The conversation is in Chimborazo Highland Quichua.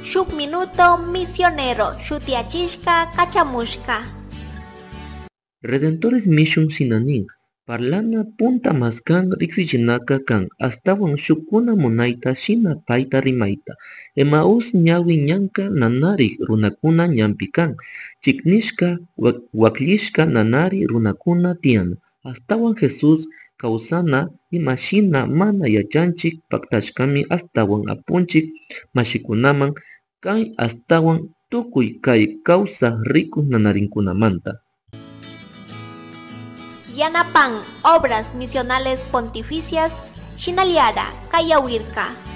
Shuk Minuto Misionero shutiyachishka kachamushka. Redentores Mission shinanin parlana punta maskan riksichinaka kan astawan shukkuna munayta shina payta rimayta. Emaús ñawi ñanka nanarik runakuna ñanpi kan, chiknishka wakllishka nanari runakuna tiyan. Astawan Jesús kawsana imashina mana yachanchik paktashkami astawan apunchik mashikunaman kay astawan tukuy kay kawsak rikuk nanarinkunamanta. Yanapan Obras Misionales Pontificias, Shinaliara, Kayawirka.